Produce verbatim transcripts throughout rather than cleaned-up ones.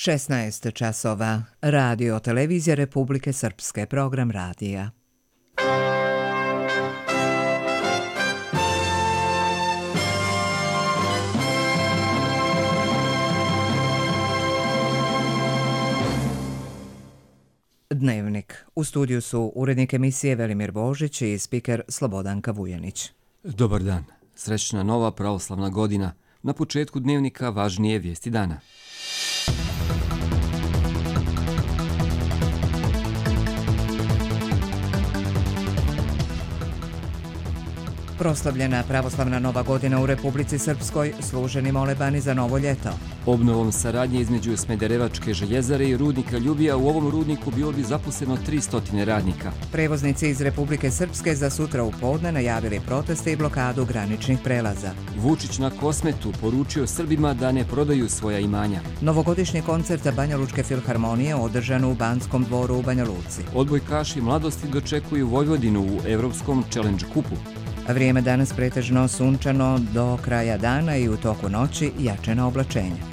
šesnaest časova. Radio Televizija Republike Srpske, program radija. Dnevnik. U studiju su urednik emisije Velimir Božić i spiker Slobodanka Vujanić. Dobar dan. Srećna nova pravoslavna godina. Na početku dnevnika važnije vijesti dana. Proslavljena pravoslavna nova godina u Republici Srpskoj, služeni molebani za novo ljeto. Obnovom saradnje između Smederevačke željezare i rudnika Ljubija u ovom rudniku bilo bi zaposleno tristo radnika. Prevoznici iz Republike Srpske za sutra u podne najavili proteste i blokadu graničnih prelaza. Vučić na Kosmetu poručio Srbima da ne prodaju svoja imanja. Novogodišnji koncert Banjalučke filharmonije održan u Banskom dvoru u Banja Luci. Odbojkaši mladosti dočekuju Vojvodinu u Evropskom Challenge kupu. Vrijeme danas pretežno sunčano do kraja dana i u toku noći jačena oblačenja.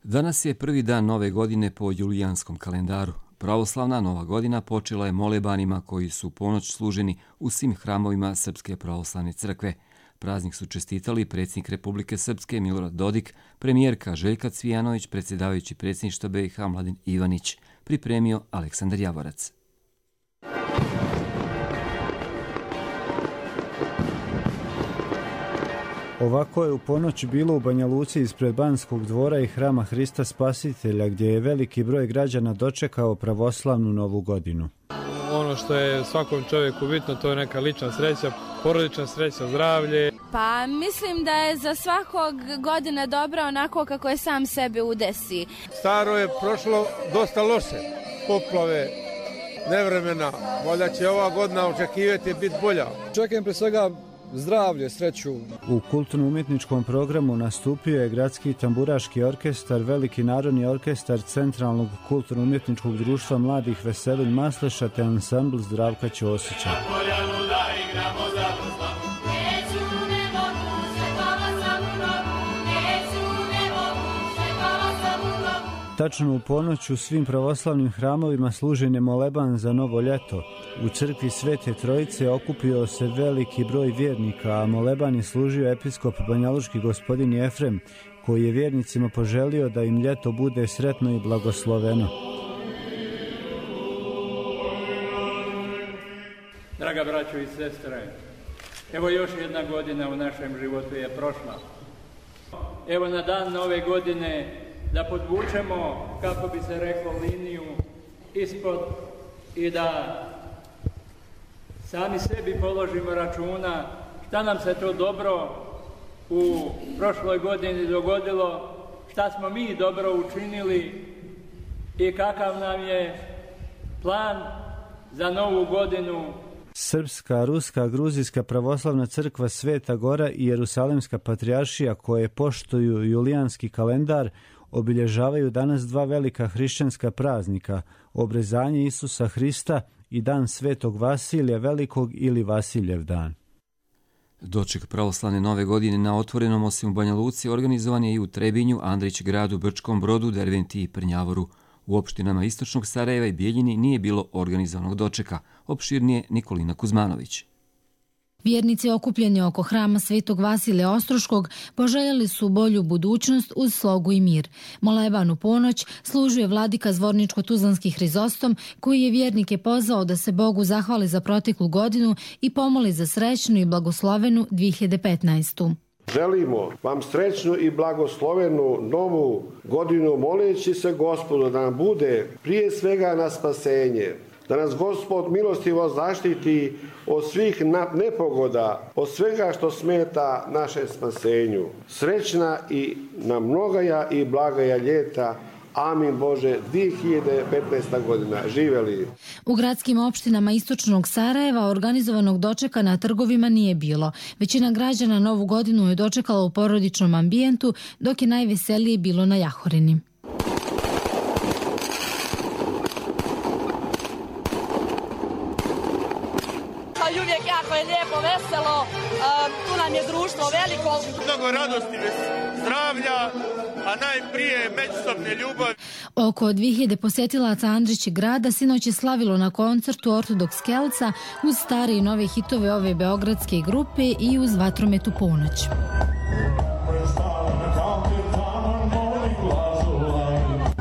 Danas je prvi dan nove godine po julijanskom kalendaru. Pravoslavna nova godina počela je molebanima koji su ponoć služeni u svim hramovima Srpske pravoslavne crkve. Praznik su čestitali predsjednik Republike Srpske Milorad Dodik, premijerka Željka Cvijanović, predsjedavajući predsjedništva B i H Mladen Ivanić. Pripremio Aleksandar Javorac. Ovako je u ponoć bilo u Banja Luci ispred Banskog dvora i Hrama Hrista Spasitelja, gdje je veliki broj građana dočekao pravoslavnu novu godinu. Ono što je svakom čovjeku bitno, to je neka lična sreća, porodična sreća, zdravlje. Pa mislim da je za svakog godina dobra onako kako je sam sebi udesi. Staro je prošlo dosta loše, poplave, nevremena, valjda će ova godina očekivati biti bolja. Čekam pre svega zdravlje, sreću. U kulturno-umjetničkom programu nastupio je Gradski tamburaški orkestar, Veliki narodni orkestar Centralnog kulturno-umjetničkog društva mladih Veselin Masleša te ansambl Zdravka Ćosića. Tačno u ponoć u svim pravoslavnim hramovima služen je moleban za novo ljeto. U crkvi Svete Trojice okupio se veliki broj vjernika, a moleban je služio episkop banjalučki gospodin Jefrem, koji je vjernicima poželio da im ljeto bude sretno i blagosloveno. Draga braćo i sestre, evo još jedna godina u našem životu je prošla. Evo na dan nove godine da podvučemo, kako bi se reklo, liniju ispod i da sami sebi položimo računa šta nam se to dobro u prošloj godini dogodilo, šta smo mi dobro učinili i kakav nam je plan za novu godinu. Srpska, Ruska, Gruzijska pravoslavna crkva Sveta Gora i Jerusalemska patrijaršija, koje poštuju julijanski kalendar, obilježavaju danas dva velika hrišćanska praznika, obrezanje Isusa Hrista i dan Svetog Vasilija Velikog ili Vasiljev dan. Doček pravoslavne nove godine na otvorenom osim u Banja Luci organizovan je i u Trebinju, Andrić gradu, Brčkom Brodu, Derventi i Prnjavoru. U opštinama Istočnog Sarajeva i Bijeljini nije bilo organizovanog dočeka, opširnije Nikolina Kuzmanović. Vjernici okupljeni oko hrama Svetog Vasilija Ostroškog poželjeli su bolju budućnost uz slogu i mir. Moleban u ponoć služuje vladika Zvorničko-Tuzlanski Hrizostom, koji je vjernike pozvao da se Bogu zahvali za proteklu godinu i pomoli za srećnu i blagoslovenu dvije hiljade petnaestu. Želimo vam srećnu i blagoslovenu novu godinu, moleći se Gospodu da nam bude prije svega na spasenje, da nas Gospod milostivo zaštiti od svih nepogoda, od svega što smeta našem spasenju. Srećna i na mnogaja i blagaja ljeta. Amin Bože, dvije hiljade petnaesta godina. Živeli. U gradskim opštinama Istočnog Sarajeva organizovanog dočeka na trgovima nije bilo. Većina građana novu godinu je dočekala u porodičnom ambijentu, dok je najveselije bilo na Jahorini. Uvijek jako je lijepo, veselo, tu nam je društvo veliko. Mnogo radosti, zdravlja, a najprije međusobne ljubavi. Oko dvije hiljade posjetilaca Andrići grada sinoć je slavilo na koncertu Ortodoks Kelca uz stare i nove hitove ove beogradske grupe i uz vatromet u ponoć.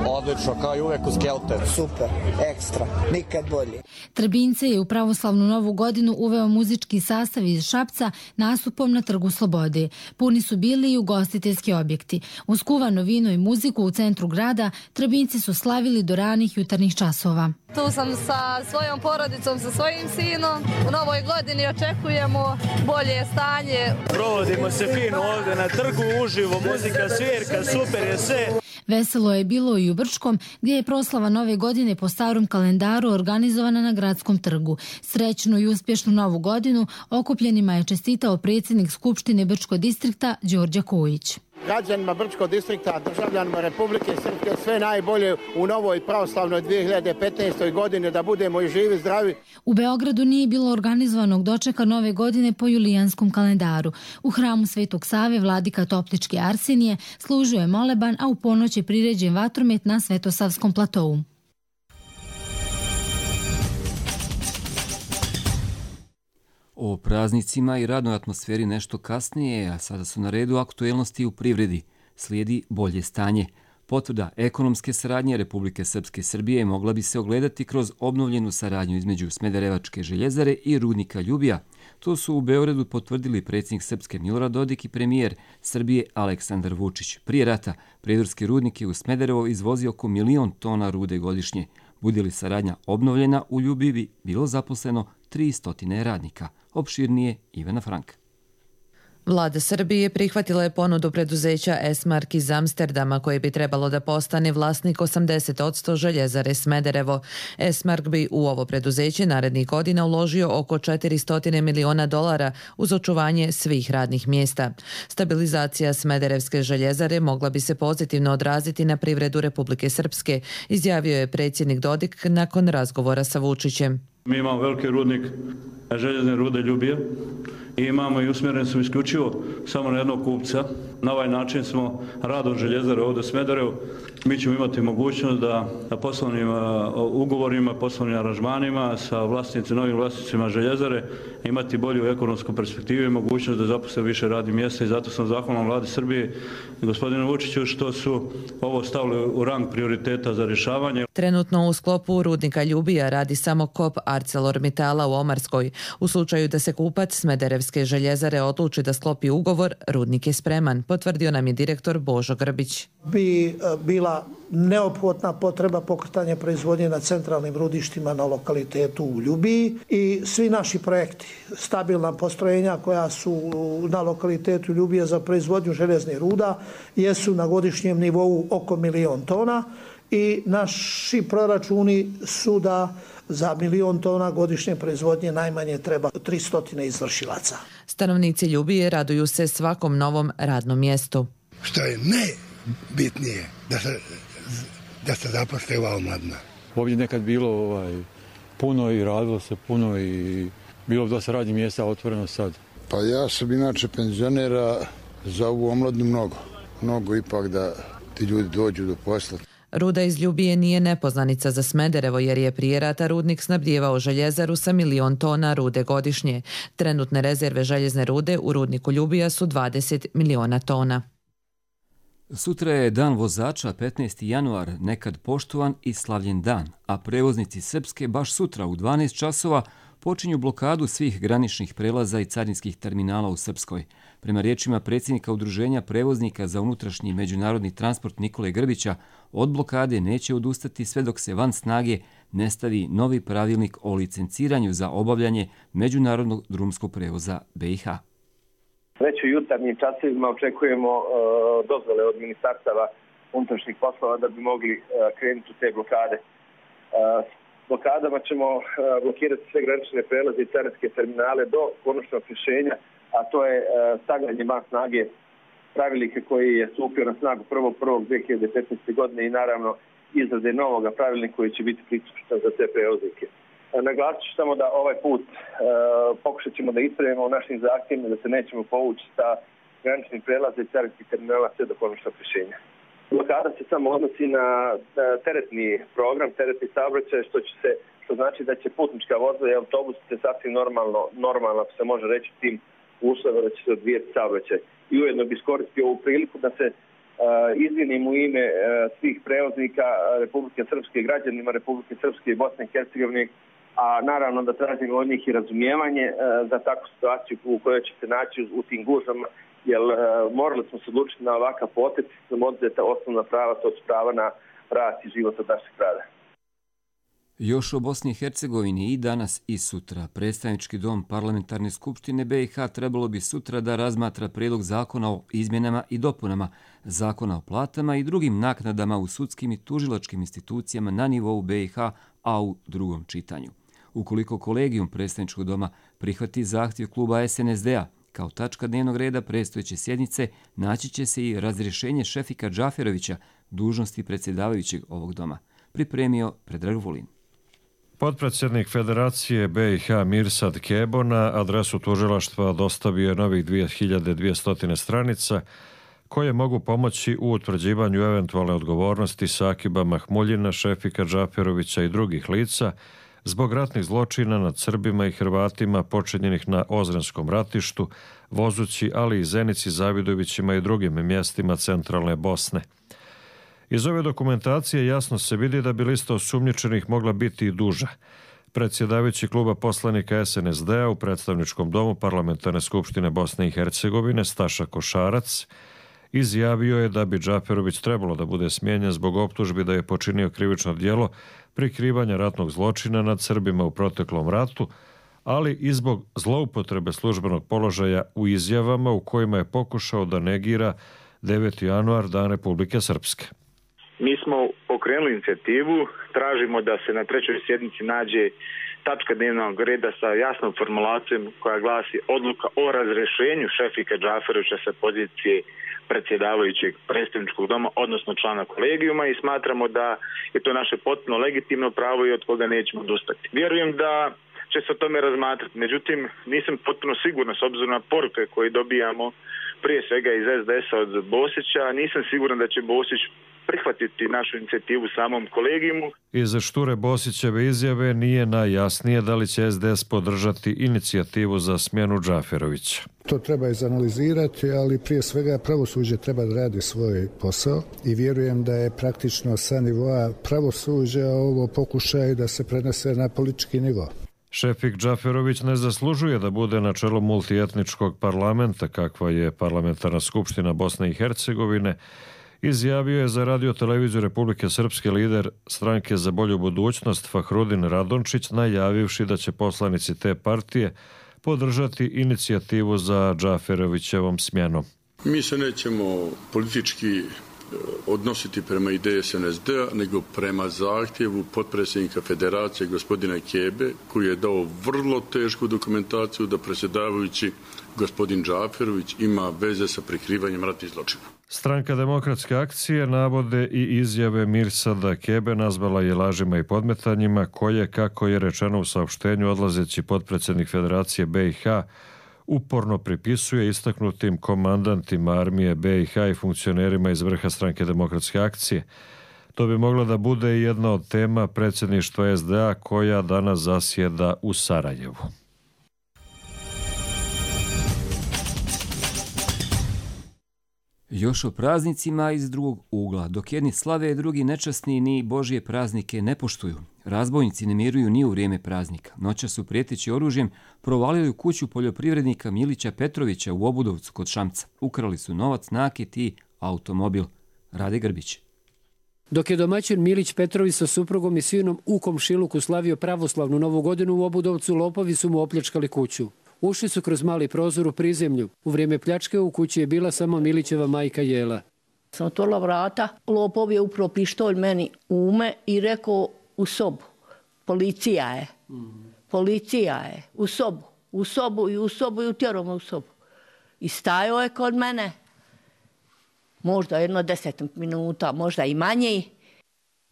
Odlično, kao i uvek uz Kelte. Super, ekstra, nikad bolje. Trbince je u pravoslavnu novu godinu uveo muzički sastav iz Šapca nastupom na Trgu Slobode. Puni su bili i ugostiteljski objekti. Uz kuvano vino i muziku u centru grada, Trbinci su slavili do ranih jutarnjih časova. Tu sam sa svojom porodicom, sa svojim sinom. U novoj godini očekujemo bolje stanje. Provodimo se fino ovdje na trgu, uživo, muzika, svirka, super je sve. Veselo je bilo i u Brčkom, gdje je proslava nove godine po starom kalendaru organizovana na gradskom trgu. Srećnu i uspješnu novu godinu okupljenima je čestitao predsjednik Skupštine Brčkog distrikta Đorđe Kojić. Građanima Brčkog distrikta, državljanima Republike Srpske sve najbolje u novoj pravoslavnoj dvije hiljade petnaestoj godini, da budemo i živi, zdravi. U Beogradu nije bilo organizovanog dočeka nove godine po julijanskom kalendaru. U hramu Svetog Save vladika Toplički Arsenije služio je moleban, a u ponoć je priređen vatromet na Svetosavskom platovu. O praznicima i radnoj atmosferi nešto kasnije, a sada su na redu aktuelnosti u privredi. Slijedi bolje stanje. Potvrda ekonomske saradnje Republike Srpske i Srbije mogla bi se ogledati kroz obnovljenu saradnju između Smederevačke željezare i rudnika Ljubija. To su u Beogradu potvrdili predsjednik Srpske Milorad Dodik i premijer Srbije Aleksandar Vučić. Prije rata prijedorski rudnik je u Smederevo izvozio oko milion tona rude godišnje. Bude li saradnja obnovljena, u Ljubiji bi bilo zaposleno tristo radnika. Opširnije Ivana Frank. Vlada Srbije prihvatila je ponudu preduzeća Esmark iz Amsterdama koje bi trebalo da postane vlasnik osamdeset posto željezare Smederevo. Esmark bi u ovo preduzeće narednih godina uložio oko četiristo miliona dolara uz očuvanje svih radnih mjesta. Stabilizacija Smederevske željezare mogla bi se pozitivno odraziti na privredu Republike Srpske, izjavio je predsjednik Dodik nakon razgovora sa Vučićem. Mi imamo veliki rudnik željezne rude Ljubije i imamo i usmjereni smo isključivo samo na jednog kupca. Na ovaj način smo radom željezare ovdje u Smederevu. Mi ćemo imati mogućnost da poslovnim ugovorima, poslovnim aranžmanima sa vlasnicima, novim vlasnicima željezare imati bolju ekonomsku perspektivu i mogućnost da zaposle više radnih mjesta i zato sam zahvalan Vladi Srbije i gospodinu Vučiću što su ovo stavili u rang prioriteta za rješavanje. Trenutno u sklopu rudnika Ljubija radi samo kop ArcelorMittala u Omarskoj. U slučaju da se kupac Smederevske željezare odluči da sklopi ugovor, rudnik je spreman, potvrdio nam je direktor Božo Grbić. Bi bila neophodna potreba pokretanja proizvodnje na centralnim rudištima na lokalitetu u Ljubiji i svi naši projekti, stabilna postrojenja koja su na lokalitetu Ljubije za proizvodnju željeznih ruda jesu na godišnjem nivou oko milion tona i naši proračuni su da za milion tona godišnje proizvodnje najmanje treba tristo izvršilaca. Stanovnici Ljubije raduju se svakom novom radnom mjestu. Što je najbitnije da se, da se zaposle ova omladina. Ovdje nekad bilo ovaj, puno i radilo se puno i bilo dosta radnih mjesta otvoreno sad. Pa ja sam inače penzionera, za ovu omladinu mnogo. Mnogo ipak da ti ljudi dođu do posla. Ruda iz Ljubije nije nepoznanica za Smederevo jer je prije rata rudnik snabdijevao željezaru sa milion tona rude godišnje. Trenutne rezerve željezne rude u rudniku Ljubija su dvadeset miliona tona. Sutra je dan vozača, petnaesti januar, nekad poštovan i slavljen dan, a prevoznici Srpske baš sutra u dvanaest časova počinju blokadu svih graničnih prelaza i carinskih terminala u Srpskoj. Prema riječima predsjednika Udruženja prevoznika za unutrašnji i međunarodni transport Nikole Grbića, od blokade neće odustati sve dok se van snage ne stavi novi pravilnik o licenciranju za obavljanje međunarodnog drumskog prevoza B i H. Već u jutarnjim časovima očekujemo uh, dozvole od ministarstava unutrašnjih poslova da bi mogli uh, krenuti u te blokade. Uh, blokadama ćemo uh, blokirati sve granične prelaze i carinske terminale do konačnog rješenja, a to je uh, stavljanje van snage pravilnika koji je stupio na snagu prvog prvog dve hiljade petnaeste. godine i naravno izrade novog pravilnika koji će biti priključan za te prevoznike. Naglasit ću samo da ovaj put e, pokušat ćemo da ispravimo u našim zahtjevima, da se nećemo povući sa graničnih prelaza i carinskih terminala sve do konačnog rješenja. Blokada se samo odnosi na teretni program, teretni saobraćaj, što će se, što znači da će putnička vozila i autobus se sasvim normalno, normalno, ako se može reći tim uslovima, da će se odvijeti saobraćaj. I ujedno bi iskoristio ovu priliku da se uh, izvinim u ime uh, svih prevoznika Republike Srpske, građanima Republike Srpske i Bosne i Hercegovine, a naravno da tražimo od njih i razumijevanje uh, za takvu situaciju u kojoj će se naći u, u tim gužvama, jer uh, morali smo se odlučiti na ovakav potez, da nam oduzeta osnovna prava, to su prava na rad i život od našeg rada. Još o Bosni i Hercegovini i danas i sutra. Predstavnički dom Parlamentarne skupštine B i H trebalo bi sutra da razmatra prijedlog zakona o izmjenama i dopunama zakona o platama i drugim naknadama u sudskim i tužilačkim institucijama na nivou B i H, a u drugom čitanju. Ukoliko kolegijum predstavničkog doma prihvati zahtjev kluba S N S D-a, kao tačka dnevnog reda predstojeće sjednice naći će se i razrješenje Šefika Džaferovića, dužnosti predsjedavajućeg ovog doma. Pripremio Predrag Vulin. Potpredsjednik Federacije B i H Mirsad Kebo na adresu tužilaštva dostavio je novih dvije hiljade dvjesto stranica koje mogu pomoći u utvrđivanju eventualne odgovornosti Sakiba Mahmuljina, Šefika Džaferovića i drugih lica zbog ratnih zločina nad Srbima i Hrvatima počinjenih na Ozrenskom ratištu, Vozući, ali i Zenici, Zavidovićima i drugim mjestima centralne Bosne. Iz ove dokumentacije jasno se vidi da bi lista osumnjičenih mogla biti i duža. Predsjedavajući kluba poslanika S N S D-a u predstavničkom domu Parlamentarne skupštine Bosne i Hercegovine Staša Košarac izjavio je da bi Džaferović trebalo da bude smijenjen zbog optužbi da je počinio krivično djelo prikrivanja ratnog zločina nad Srbima u proteklom ratu, ali i zbog zloupotrebe službenog položaja u izjavama u kojima je pokušao da negira deveti januar, Dan Republike Srpske. Mi smo pokrenuli inicijativu, tražimo da se na trećoj sjednici nađe tačka dnevnog reda sa jasnom formulacijom koja glasi odluka o razrješenju Šefika Džaferovića sa pozicije predsjedavajućeg predstavničkog doma, odnosno člana kolegijuma, i smatramo da je to naše potpuno legitimno pravo i od koga nećemo odustati. Vjerujem da će se o tome razmatrati, međutim nisam potpuno siguran s obzirom na poruke koje dobijamo prije svega iz S D S-a od Bosića, nisam siguran da će Bosić prihvatiti našu inicijativu samom kolegijumu. Iz šture Bosićeve izjave nije najjasnije da li će S D S podržati inicijativu za smjenu Džaferovića. To treba izanalizirati, ali prije svega pravosuđe treba da radi svoj posao i vjerujem da je praktično sa nivoa pravosuđa ovo pokušaj da se prenese na politički nivo. Šefik Džaferović ne zaslužuje da bude na čelu multietničkog parlamenta, kakva je Parlamentarna skupština Bosne i Hercegovine, izjavio je za radio televiziju Republike Srpske lider Stranke za bolju budućnost Fahrudin Radončić, najavivši da će poslanici te partije podržati inicijativu za Džaferovićevom smjenom. Mi se nećemo politički odnositi prema ideji S N S D-a, nego prema zahtjevu potpredsjednika Federacije gospodina Kebe, koji je dao vrlo tešku dokumentaciju da predsjedavajući gospodin Džaferović ima veze sa prikrivanjem ratnih zločina. Stranka Demokratske akcije navode i izjave Mirsada Kebe nazvala je lažima i podmetanjima koje, kako je rečeno u saopštenju, odlazeći potpredsjednik Federacije B i H uporno pripisuje istaknutim komandantima armije B i H i funkcionerima iz vrha Stranke Demokratske akcije. To bi mogla da bude i jedna od tema predsjedništva S D A koja danas zasjeda u Sarajevu. Još o praznicima iz drugog ugla. Dok jedni slave, drugi nečasni ni Božje praznike ne poštuju. Razbojnici ne miruju ni u vrijeme praznika. Noćas su prijeteći oružjem provalili u kuću poljoprivrednika Milića Petrovića u Obudovcu kod Šamca. Ukrali su novac, naket i automobil. Rade Grbić. Dok je domaćin Milić Petrović sa suprugom i sinom u komšiluku slavio pravoslavnu novu godinu u Obudovcu, lopovi su mu opljačkali kuću. Ušli su kroz mali prozor u prizemlju. U vrijeme pljačke u kući je bila samo Milićeva majka Jela. Sam otvorila vrata, lopov je upravo pištolj meni u ume i rekao u sobu. Policija je. Policija je. U sobu. U sobu i u sobu i utjerao me u sobu. I stajao je kod mene. Možda jedno deset minuta, možda i manje.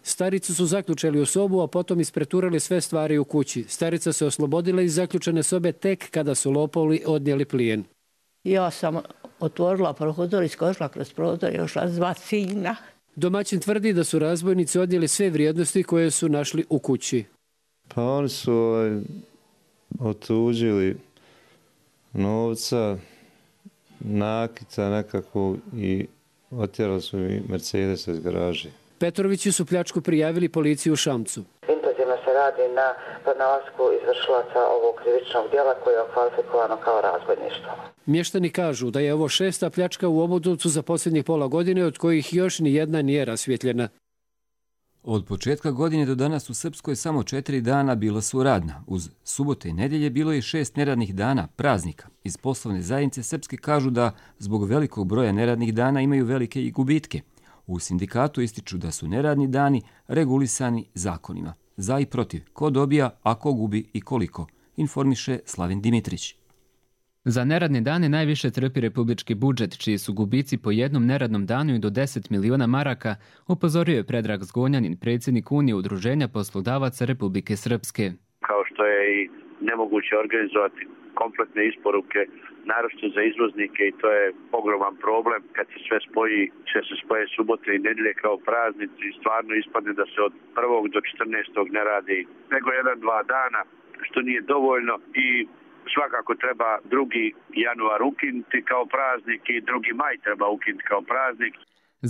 Staricu su zaključali u sobu, a potom ispreturali sve stvari u kući. Starica se oslobodila iz zaključene sobe tek kada su lopovi odnijeli plijen. Ja sam otvorila prozor, iskočila kroz prozor i ošla zvat sina. Domaćin tvrdi da su razbojnici odnijeli sve vrijednosti koje su našli u kući. Pa oni su otuđili novca, nakita nekako i otjerali su mi Mercedes iz garaže. Petrovići su pljačku prijavili policiji u Šamcu. Intenzivno se radi na pronalasku izvršilaca ovog krivičnog djela koje je okvalifikovano kao razbojništvo. Mještani kažu da je ovo šesta pljačka u Obudovcu za posljednjih pola godine, od kojih još ni jedna nije rasvjetljena. Od početka godine do danas u Srpskoj samo četiri dana bila su radna. Uz subote i nedjelje bilo je šest neradnih dana, praznika. Iz poslovne zajednice Srpske kažu da zbog velikog broja neradnih dana imaju velike i gubitke. U sindikatu ističu da su neradni dani regulisani zakonima. Za i protiv, ko dobija, a ko gubi i koliko, informiše Slavin Dimitrić. Za neradne dane najviše trpi republički budžet, čiji su gubici po jednom neradnom danu i do deset miliona maraka, upozorio je Predrag Zgonjanin, predsjednik Unije udruženja poslodavaca Republike Srpske. Kao što je i nemoguće organizovati kompletne isporuke, naročito za izvoznike, i to je ogroman problem. Kad se sve spoji, će se spoje subote i nedjelje kao praznici i stvarno ispadne da se od prvog do četrnaestog ne radi nego jedan, dva dana, što nije dovoljno, i svakako treba drugi januar ukinuti kao praznik i drugi maj treba ukinuti kao praznik.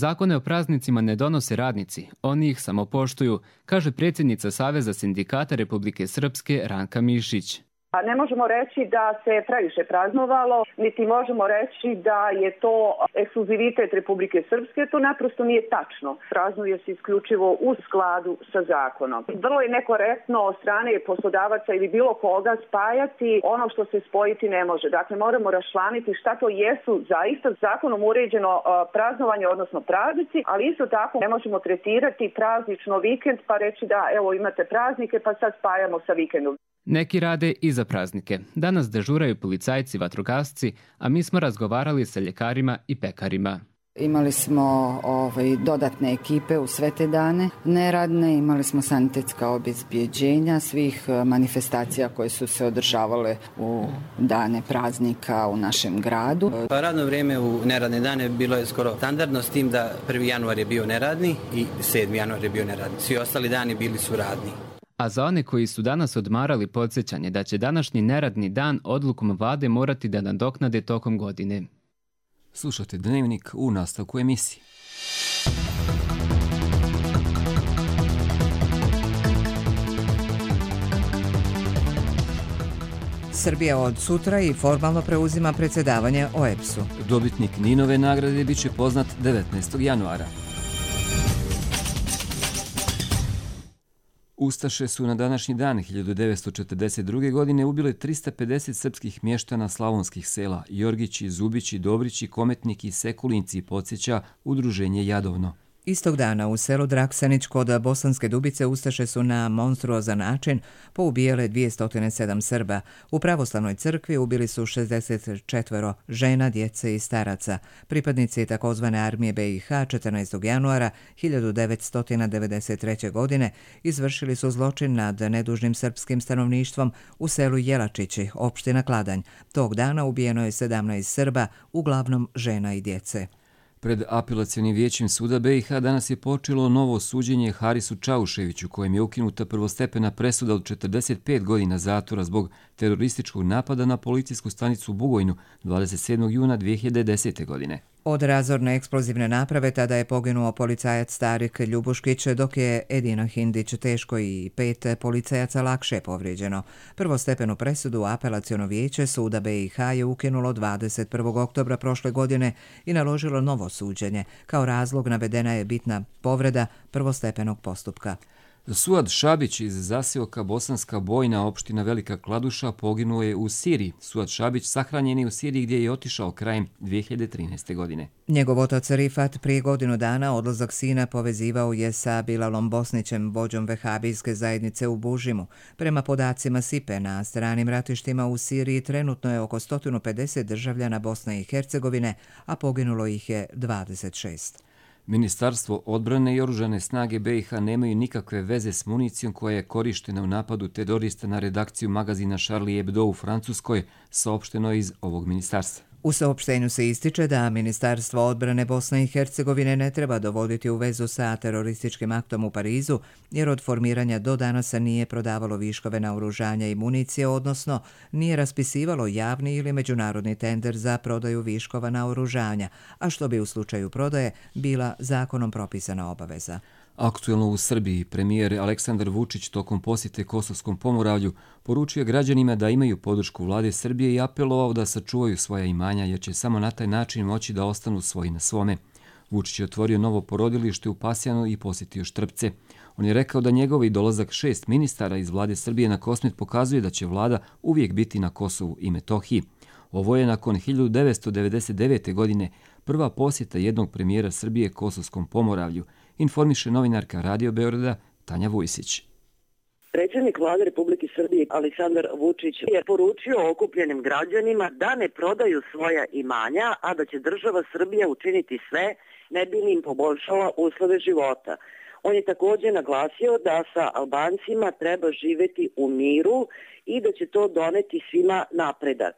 Zakone o praznicima ne donose radnici, oni ih samo poštuju, kaže predsjednica Saveza sindikata Republike Srpske Ranka Mišić. A ne možemo reći da se previše praznovalo, niti možemo reći da je to ekskluzivitet Republike Srpske, to naprosto nije tačno. Praznuje se isključivo u skladu sa zakonom. Vrlo je nekorektno od strane poslodavaca ili bilo koga spajati ono što se spojiti ne može. Dakle, moramo raščlaniti šta to jesu zaista zakonom uređeno praznovanje, odnosno praznici, ali isto tako ne možemo tretirati praznično vikend pa reći da evo imate praznike pa sad spajamo sa vikendom. Neki rade i za praznike. Danas dežuraju policajci, vatrogasci, a mi smo razgovarali sa ljekarima i pekarima. Imali smo ovaj, dodatne ekipe u sve te dane neradne, imali smo sanitetska obezbjeđenja svih manifestacija koje su se održavale u dane praznika u našem gradu. Pa radno vrijeme u neradne dane bilo je skoro standardno, s tim da prvi januar je bio neradni i sedmi januar je bio neradni. Svi ostali dani bili su radni. A za one koji su danas odmarali, podsjećanje da će današnji neradni dan odlukom vlade morati da nadoknade tokom godine. Slušate Dnevnik u nastavku emisije. Srbija od sutra i formalno preuzima predsjedavanje O E B S-u. Dobitnik Ninove nagrade bit će poznat devetnaestog januara. Ustaše su na današnji dan hiljadu devetsto četrdeset druge. godine ubile trista pedeset srpskih mještana slavonskih sela Jorgići, Zubići, Dobrići, Kometniki, Sekulinci, podsjeća udruženje Jadovno. Istog dana u selu Draksanić kod Bosanske Dubice Ustaše su na monstruozan način poubijale dvjesto sedam Srba. U pravoslavnoj crkvi ubili su šezdeset četiri žena, djece i staraca. Pripadnici takozvane armije B i H četrnaestog januara hiljadu devetsto devedeset treće. godine izvršili su zločin nad nedužnim srpskim stanovništvom u selu Jelačići, opština Kladanj. Tog dana ubijeno je sedamnaest Srba, uglavnom žena i djece. Pred apelacionim vijećem suda B i H danas je počelo novo suđenje Harisu Čauševiću, kojem je ukinuta prvostepena presuda od četrdeset pet godina zatvora zbog terorističkog napada na policijsku stanicu u Bugojnu dvadeset sedmog juna dvije hiljade desete. godine. Od razorne eksplozivne naprave tada je poginuo policajac Starik Ljubuškić, dok je Edina Hindić teško i pet policajaca lakše povrijeđeno. Prvostepenu presudu apelaciono vijeće suda B i H je ukinulo dvadeset prvog oktobra prošle godine i naložilo novo suđenje. Kao razlog navedena je bitna povreda prvostepenog postupka. Suad Šabić iz zaseoka Bosanska Bojna, opština Velika Kladuša, poginuo je u Siriji. Suad Šabić sahranjen je u Siriji gdje je otišao krajem dvije hiljade trinaeste. godine. Njegov otac Rifat prije godinu dana odlazak sina povezivao je sa Bilalom Bosnićem, vođom vehabijske zajednice u Bužimu. Prema podacima S I P E na stranim ratištima u Siriji trenutno je oko sto pedeset državljana Bosne i Hercegovine, a poginulo ih je dvadeset šest. Ministarstvo odbrane i oružane snage B i H nemaju nikakve veze s municijom koja je korištena u napadu terorista na redakciju magazina Charlie Hebdo u Francuskoj, saopšteno iz ovog ministarstva. U saopštenju se ističe da Ministarstvo odbrane Bosne i Hercegovine ne treba dovoditi u vezu sa terorističkim aktom u Parizu, jer od formiranja do danas nije prodavalo viškove naoružanja i municije, odnosno nije raspisivalo javni ili međunarodni tender za prodaju viškova naoružanja, a što bi u slučaju prodaje bila zakonom propisana obaveza. Aktuelno u Srbiji premijer Aleksandar Vučić tokom posjete Kosovskom Pomoravlju poručio građanima da imaju podršku vlade Srbije i apelovao da sačuvaju svoja imanja jer će samo na taj način moći da ostanu svoji na svome. Vučić je otvorio novo porodilište u Pasjanu i posjetio Štrpce. On je rekao da njegovi dolazak šest ministara iz vlade Srbije na Kosmet pokazuje da će vlada uvijek biti na Kosovu i Metohiji. Ovo je nakon hiljadu devetsto devedeset devete. godine prva posjeta jednog premijera Srbije Kosovskom Pomoravlju, informiše novinarka Radio Beograda Tanja Vujsić. Predsjednik vlade Republike Srbije Aleksandar Vučić je poručio okupljenim građanima da ne prodaju svoja imanja, a da će država Srbija učiniti sve ne bi li im poboljšala uslove života. On je također naglasio da sa Albancima treba živjeti u miru i da će to doneti svima napredak.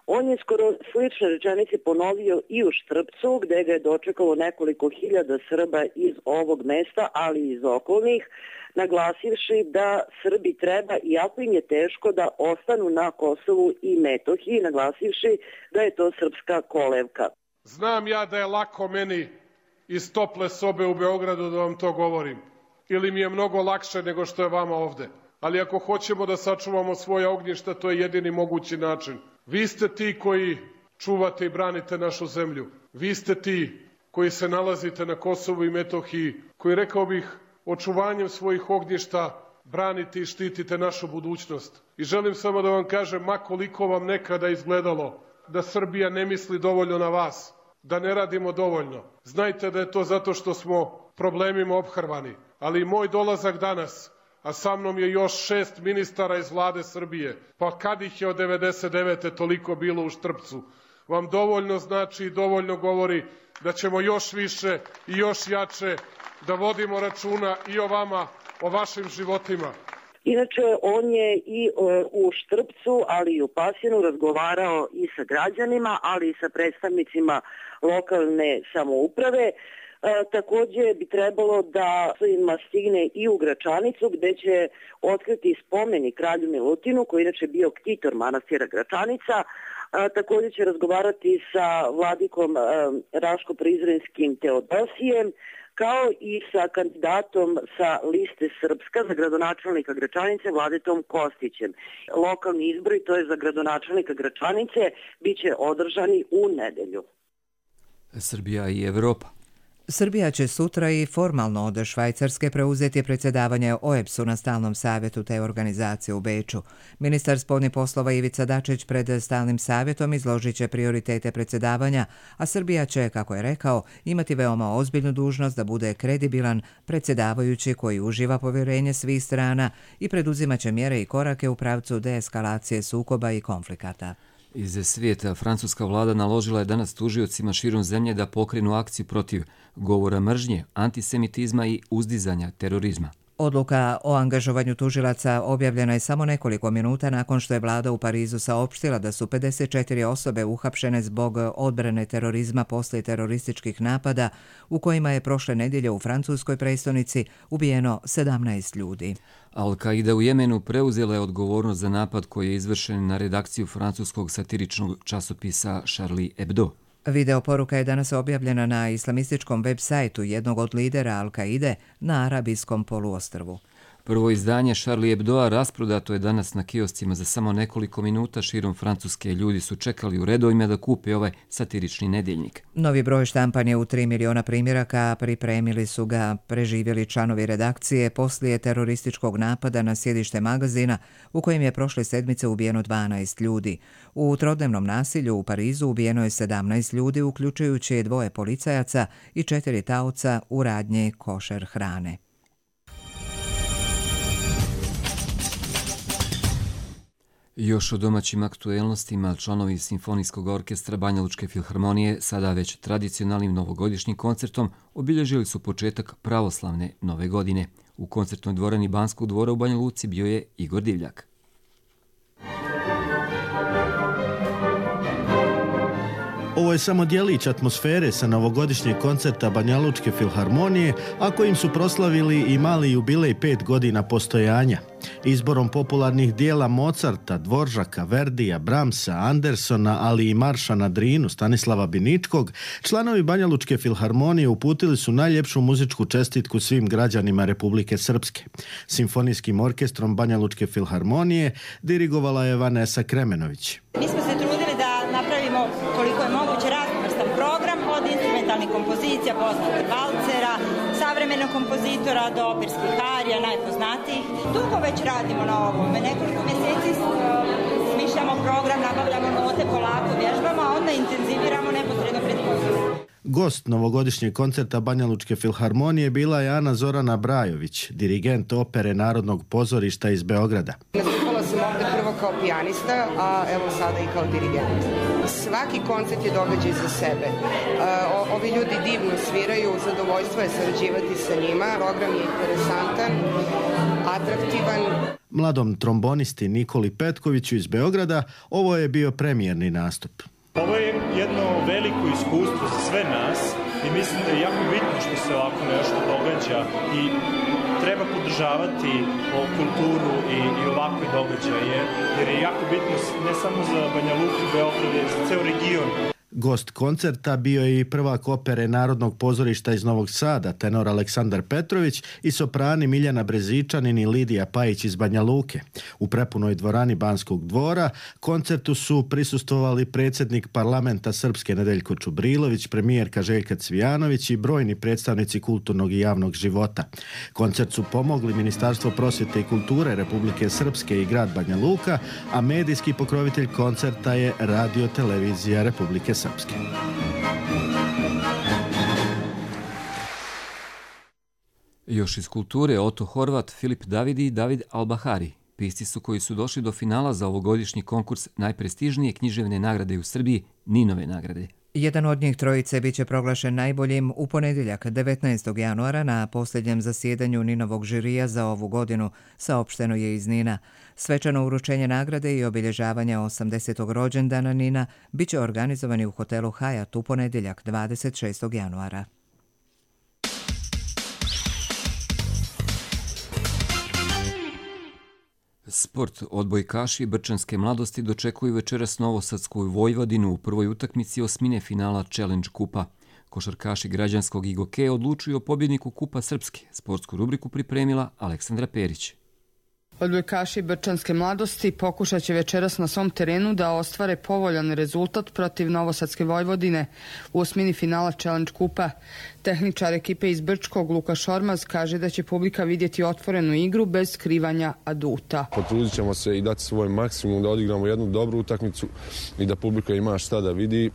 On je skoro slične rečenice ponovio i u Štrpcu, gdje ga je dočekalo nekoliko hiljada Srba iz ovog mesta, ali i iz okolnih, naglasivši da Srbi treba, iako im je teško, da ostanu na Kosovu i Metohiji, naglasivši da je to srpska kolevka. Znam ja da je lako meni iz tople sobe u Beogradu da vam to govorim. Ili mi je mnogo lakše nego što je vama ovde. Ali ako hoćemo da sačuvamo svoje ognjišta, to je jedini mogući način. Vi ste ti koji čuvate i branite našu zemlju. Vi ste ti koji se nalazite na Kosovu i Metohiji, koji, rekao bih, očuvanjem svojih ognjišta branite i štitite našu budućnost. I želim samo da vam kažem, ma koliko vam nekada izgledalo da Srbija ne misli dovoljno na vas, da ne radimo dovoljno. Znajte da je to zato što smo problemima ophrvani. Ali moj dolazak danas, a sa mnom je još šest ministara iz vlade Srbije, pa kad ih je od devedeset devete toliko bilo u Štrpcu, vam dovoljno znači i dovoljno govori da ćemo još više i još jače da vodimo računa i o vama, o vašim životima. Inače, on je i u Štrpcu, ali i u Pasjanu razgovarao i sa građanima, ali i sa predstavnicima lokalne samouprave. E, također bi trebalo da ima stigne i u Gračanicu, gdje će otkriti spomenik kralju Milutinu, koji inače bio ktitor manastira Gračanica. E, također će razgovarati sa vladikom e, Raško-Prizrenskim Teodosijem, kao i sa kandidatom sa liste Srpska za gradonačelnika Gračanice Vladetom Kostićem. Lokalni izbori, to je za gradonačelnika Gračanice, bit će održani u nedelju. Srbija i Evropa. Srbija će sutra i formalno od Švajcarske preuzeti predsjedavanje O E B S-u na stalnom savjetu te organizacije u Beču. Ministar spoljnih poslova Ivica Dačić pred stalnim savjetom izložit će prioritete predsjedavanja, a Srbija će, kako je rekao, imati veoma ozbiljnu dužnost da bude kredibilan predsjedavajući koji uživa povjerenje svih strana i preduzimat će mjere i korake u pravcu deeskalacije sukoba i konflikata. Iz svijeta francuska vlada naložila je danas tužiocima širom zemlje da pokrenu akciju protiv govora mržnje, antisemitizma i uzdizanja terorizma. Odluka o angažovanju tužilaca objavljena je samo nekoliko minuta nakon što je vlada u Parizu saopštila da su pedeset četiri osobe uhapšene zbog odbrane terorizma poslije terorističkih napada u kojima je prošle nedjelje u francuskoj prestonici ubijeno sedamnaest ljudi. Al-Qaida u Jemenu preuzela je odgovornost za napad koji je izvršen na redakciju francuskog satiričnog časopisa Charlie Hebdo. Video poruka je danas objavljena na islamističkom web sajtu jednog od lidera Al-Qaide na arabijskom poluostrvu. Prvo izdanje Charlie Hebdoa rasprodato je danas na kioscima za samo nekoliko minuta širom Francuske. Ljudi su čekali u redovima da kupe ovaj satirični nedjeljnik. Novi broj štampan je u tri miliona primjeraka, pripremili su ga preživjeli članovi redakcije poslije terorističkog napada na sjedište magazina u kojem je prošle sedmice ubijeno dvanaest ljudi. U trodnevnom nasilju u Parizu ubijeno je sedamnaest ljudi, uključujući dvoje policajaca i četiri taoca u radnji košer hrane. Još o domaćim aktuelnostima, članovi Simfonijskog orkestra Banjalučke filharmonije sada već tradicionalnim novogodišnjim koncertom obilježili su početak pravoslavne nove godine. U koncertnoj dvorani Banskog dvora u Banja Luci bio je Igor Divljak. Ovo je samo djelić atmosfere sa novogodišnjeg koncerta Banjalučke filharmonije, a kojim su proslavili i mali jubilej pet godina postojanja. Izborom popularnih dijela Mozarta, Dvoržaka, Verdija, Brahmsa, Andersona, ali i marša na Drinu Stanislava Biničkog, članovi Banjalučke filharmonije uputili su najljepšu muzičku čestitku svim građanima Republike Srpske. Simfonijskim orkestrom Banjalučke filharmonije dirigovala je Vanesa Kremenović. Mi smo se trudili da napravimo koliko je moguće raznovrstan program, od instrumentalnih kompozicija, poznatih valcera, savremenog kompozitora do operskih arija, najpoznatijih. Dugo već radimo na ovome. Nekoliko mjeseci smišljamo program, nabavljamo note, polako vježbamo, a onda intenziviramo neposredno pred koncertom. Gost novogodišnjeg koncerta Banjalučke filharmonije bila je Ana Zorana Brajović, dirigent opere Narodnog pozorišta iz Beograda. Nastupala sam ovdje prvo kao pijanista, a evo sada i kao dirigent. Svaki koncert je događaj za sebe. O, ovi ljudi divno sviraju, zadovoljstvo je sarađivati sa njima. Program je interesantan, atraktivan. Mladom trombonisti Nikoli Petkoviću iz Beograda ovo je bio premijerni nastup. Ovo je jedno veliko iskustvo za sve nas i mislim da je jako bitno što se ovako nešto događa i treba podržavati ovu kulturu i, i ovakve događaje, jer je jako bitno ne samo za Banja Luku, Beograd, jer za ceo region. Gost koncerta bio je i prvak opere Narodnog pozorišta iz Novog Sada, tenor Aleksandar Petrović, i soprani Miljana Brezičanin i Lidija Pajić iz Banja Luke. U prepunoj dvorani Banskog dvora koncertu su prisustvovali predsjednik parlamenta Srpske Nedeljko Čubrilović, premijerka Željka Cvijanović i brojni predstavnici kulturnog i javnog života. Koncert su pomogli Ministarstvo prosvjete i kulture Republike Srpske i grad Banja Luka, a medijski pokrovitelj koncerta je Radio televizija Republike Srpske. Srpske. Još iz kulture Oto Horvat, Filip Davidi i David Albahari. Pisci su koji su došli do finala za ovogodišnji konkurs najprestižnije književne nagrade u Srbiji, Ninove nagrade. Jedan od njih trojice biće proglašen najboljim u ponedjeljak devetnaestog januara na posljednjem zasjedanju Ninovog žirija za ovu godinu, saopšteno je iz Nina. Svečano uručenje nagrade i obilježavanje osamdesetog rođendana Nina biće organizovani u hotelu Hajat u ponedjeljak dvadeset šestog januara. Sport. Odbojkaši Brčanske mladosti dočekuju večeras Novosadsku Vojvodinu u prvoj utakmici osmine finala Challenge kupa. Košarkaši građanskog Igoke odlučuju o pobjedniku Kupa Srpske. Sportsku rubriku pripremila Aleksandra Perić. Odbojkaši Brčanske mladosti pokušat će večeras na svom terenu da ostvare povoljan rezultat protiv Novosadske Vojvodine u osmini finala Challenge kupa. Tehničar ekipe iz Brčkog Luka Šormaz kaže da će publika vidjeti otvorenu igru bez skrivanja aduta. Potrudit ćemo se i dati svoj maksimum da odigramo jednu dobru utakmicu i da publika ima šta da vidi,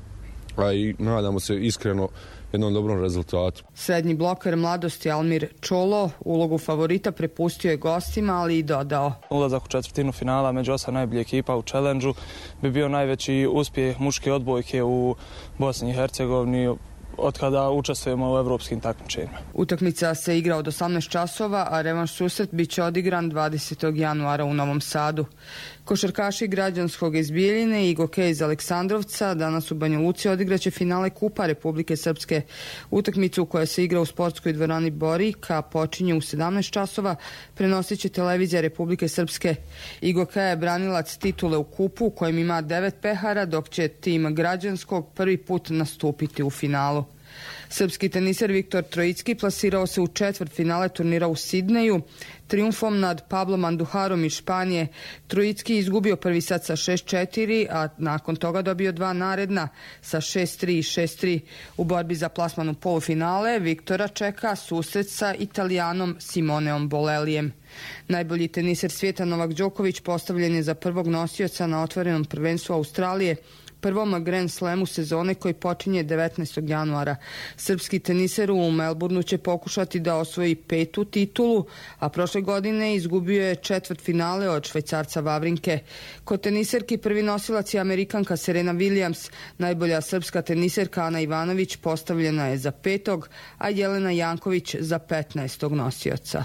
a i nadamo se iskreno jednom dobrom rezultatu. Srednji bloker mladosti Almir Čolo ulogu favorita prepustio je gostima, ali i dodao. Ulazak u četvrtinu finala među osam najboljih ekipa u challenge-u bi bio najveći uspjeh muške odbojke u Bosni i Hercegovini od kada učestvujemo u evropskim takmičenjima. Utakmica se igra od osamnaest časova, a revanš susret biće odigran dvadesetog januara u Novom Sadu. Košarkaši građanskog iz Bijeljine i Igoke iz Aleksandrovca danas u Banja Luci odigraće finale Kupa Republike Srpske. Utakmicu koja se igra u sportskoj dvorani Borika počinje u sedamnaest časova, prenosit će televizija Republike Srpske. Igoka je branilac titule u kupu u kojem ima devet pehara, dok će tim građanskog prvi put nastupiti u finalu. Srpski teniser Viktor Trojicki plasirao se u četvrt finale turnira u Sidneju. Triumfom nad Pablom Anduharom iz Španije Trojicki izgubio prvi set sa šest četiri, a nakon toga dobio dva naredna sa šest tri i šest tri. U borbi za plasman u polufinale Viktora čeka susret sa Italijanom Simoneom Bolelijem. Najbolji teniser svijeta Novak Đoković postavljen je za prvog nosioca na otvorenom prvenstvu Australije prvom Grand Slamu sezone koji počinje devetnaestog januara. Srpski teniser u Melbourneu će pokušati da osvoji petu titulu, a prošle godine izgubio je četvrt finale od Švajcarca Vavrinke. Kod teniserki prvi nosilac je Amerikanka Serena Williams, najbolja srpska teniserka Ana Ivanović postavljena je za petog, a Jelena Janković za petnaestog nosioca.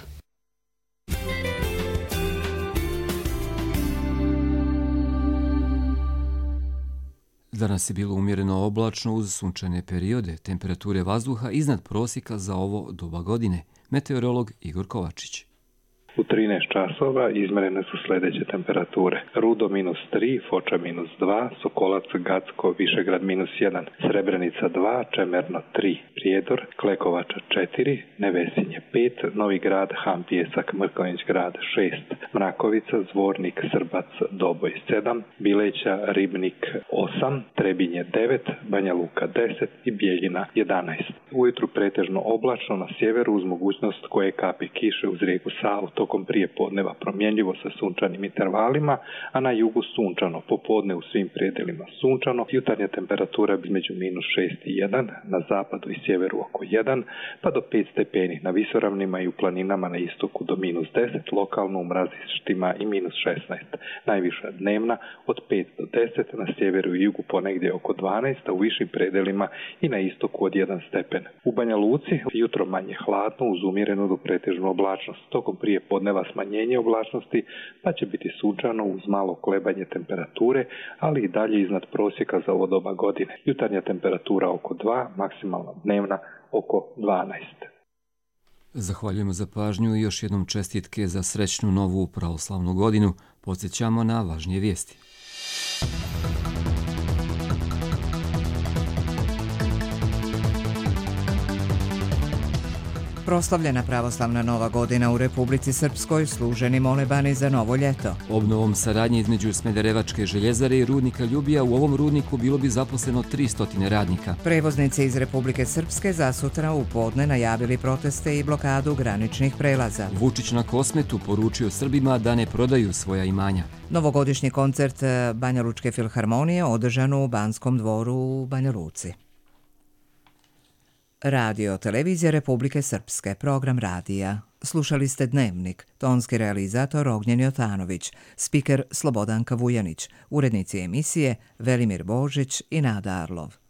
Danas je bilo umjereno oblačno uz sunčane periode, temperature vazduha iznad prosjeka za ovo doba godine. Meteorolog Igor Kovačić. U trinaest časova izmerene su sljedeće temperature. Rudo minus tri, Foča minus dva, Sokolac, Gacko, Višegrad minus jedan, Srebrenica dva, Čemerno tri, Prijedor, Klekovača četiri, Nevesinje pet, Novi Grad, Han Pijesak, Mrkonjić Grad šest, Mrakovica, Zvornik, Srbac, Doboj sedam, Bileća, Ribnik osam, Trebinje devet, Banja Luka deset i Bijeljina jedanaest. Ujutru pretežno oblačno, na sjeveru uz mogućnost koje kapi kiše uz rijeku Savu tokom prije podneva promjenljivo sa sunčanim intervalima, a na jugu sunčano, popodne u svim predelima sunčano, jutarnja temperatura između minus šest i jedan, na zapadu i sjeveru oko jedan, pa do pet stepeni na visoravnima i u planinama na istoku do minus deset, lokalno u mrazištima i minus šesnaest. Najviša dnevna od pet do deset, na sjeveru i jugu ponegdje oko dvanaest, a u višim predelima i na istoku od jedan stepen. U Banja Luci jutro manje hladno uz umjerenu do pretežnu oblačnost, tokom prije podneva smanjenje oblačnosti, pa će biti sunčano uz malo kolebanje temperature, ali i dalje iznad prosjeka za ovo doba godine. Jutarnja temperatura oko dva, maksimalna dnevna oko dvanaest. Zahvaljujemo za pažnju i još jednom čestitke za srećnu novu pravoslavnu godinu. Podsjećamo na važnije vijesti. Proslavljena pravoslavna nova godina u Republici Srpskoj, služeni molebani za novo ljeto. Obnovom saradnje između Smederevačke željezare i rudnika Ljubija u ovom rudniku bilo bi zaposleno tristo radnika. Prevoznici iz Republike Srpske za sutra u podne najavili proteste i blokadu graničnih prelaza. Vučić na Kosmetu poručio Srbima da ne prodaju svoja imanja. Novogodišnji koncert Banja Lučke filharmonije održan u Banskom dvoru u Banja Luci. Radio Televizija Republike Srpske, program radija. Slušali ste Dnevnik, tonski realizator Ognjen Jotanović, spiker Slobodanka Vujanić, urednici emisije Velimir Božić i Nada Arlov.